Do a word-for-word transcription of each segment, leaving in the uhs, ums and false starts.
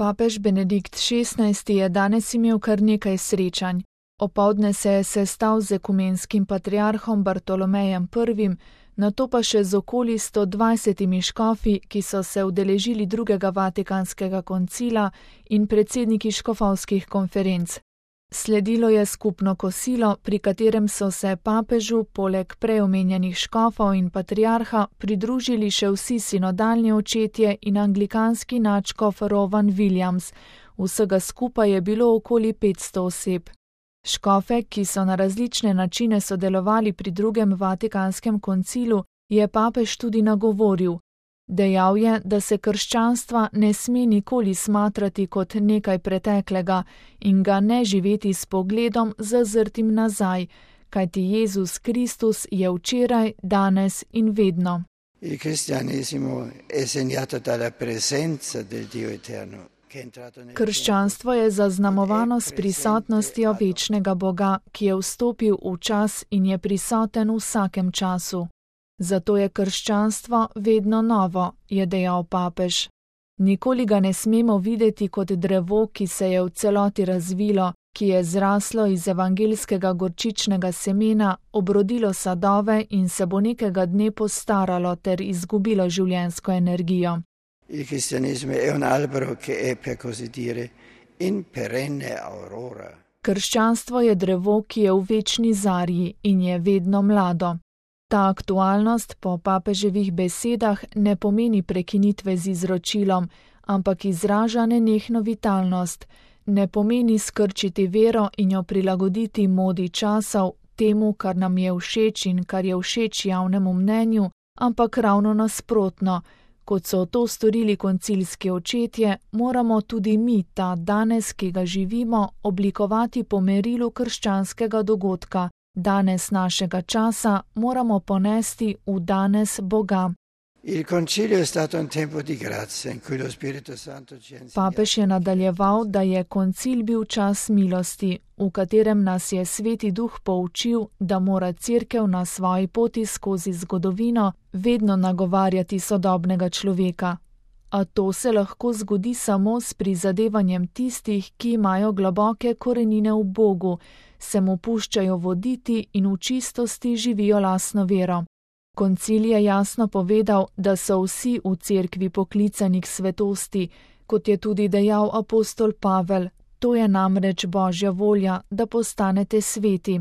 Papež Benedikt šestnajsti je danes imel kar nekaj srečanj. Opoldne se je sestal z ekumenskim patriarhom Bartolomejem prvim, nato pa še z okoli sto dvajsetimi škofi, ki so se udeležili drugega vatikanskega koncila in predsedniki škofovskih konferenc. Sledilo je skupno kosilo, pri katerem so se papežu poleg prej omenjenih škofov in patriarha pridružili še vsi sinodalni očetje in anglikanski nadškof Rowan Williams. Vsega skupaj je bilo okoli petsto oseb. Škofe, ki so na različne načine sodelovali pri drugem vatikanskem koncilu, je papež tudi nagovoril. Dejal je, da se krščanstva ne sme nikoli smatrati kot nekaj preteklega in ga ne živeti s pogledom zazrtim nazaj, kajti Jezus Kristus je včeraj, danes in vedno. Il cristianesimo è segnato dalla presenza del Dio eterno. Krščanstvo je zaznamovano s prisotnostjo večnega Boga, ki je vstopil v čas in je prisoten v vsakem času. Zato je krščanstvo vedno novo, je dejal papež. Nikoli ga ne smemo videti kot drevo, ki se je v celoti razvilo, ki je zraslo iz evangeljskega gorčičnega semena, obrodilo sadove in se bo nekega dne postaralo ter izgubilo življenjsko energijo. Il cristianesimo è un albero che è, per così dire, in perenne aurora. Krščanstvo je drevo, ki je v večni zarji in je vedno mlado. Ta aktualnost po papeževih besedah ne pomeni prekinitve z izročilom, ampak izraža nenehno vitalnost, ne pomeni skrčiti vero in jo prilagoditi modi časov, temu, kar nam je všeč in kar je všeč javnemu mnenju, ampak ravno nasprotno. Kot so to storili koncilski očetje, moramo tudi mi ta danes, ki ga živimo, oblikovati po merilu krščanskega dogodka. Danes našega časa moramo ponesti v danes Boga. Il concilio è stato un tempo di grazia in cui lo Spirito Santo ci ha insegnato. Papež je nadaljeval, da je koncil bil čas milosti, v katerem nas je Sveti Duh poučil, da mora Cerkev na svoji poti skozi zgodovino vedno nagovarjati sodobnega človeka. A to se lahko zgodi samo s prizadevanjem tistih, ki imajo globoke korenine v Bogu, se mu puščajo voditi in v čistosti živijo lastno vero. Koncil je jasno povedal, da so vsi v Cerkvi poklicani k svetosti, kot je tudi dejal apostol Pavel, to je namreč Božja volja, da postanete sveti.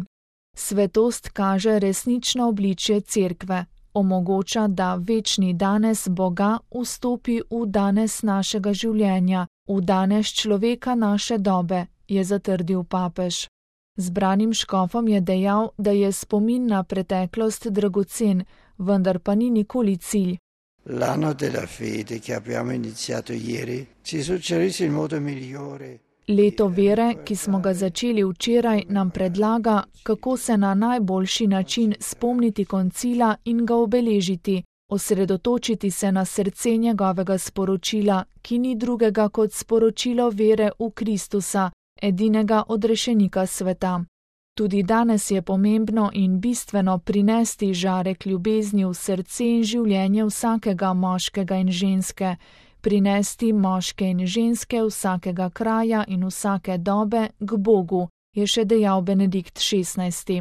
Svetost kaže resnično obličje Cerkve, omogoča, da večni danes Boga vstopi v danes našega življenja, v danes človeka naše dobe, je zatrdil papež. Zbranim škofom je dejal, da je spomin na preteklost dragocen, vendar pa ni nikoli cilj. L'anno della fede che abbiamo iniziato ieri ci suggerisce il modo migliore. Leto vere, ki smo ga začeli včeraj, nam predlaga, kako se na najboljši način spomniti koncila in ga obeležiti, osredotočiti se na srce njegovega sporočila, ki ni drugega kot sporočilo vere v Kristusa, edinega odrešenika sveta. Tudi danes je pomembno in bistveno prinesti žarek ljubezni v srce in življenje vsakega moškega in ženske, prinesti moške in ženske vsakega kraja in vsake dobe k Bogu, je še dejal Benedikt šestnajsti.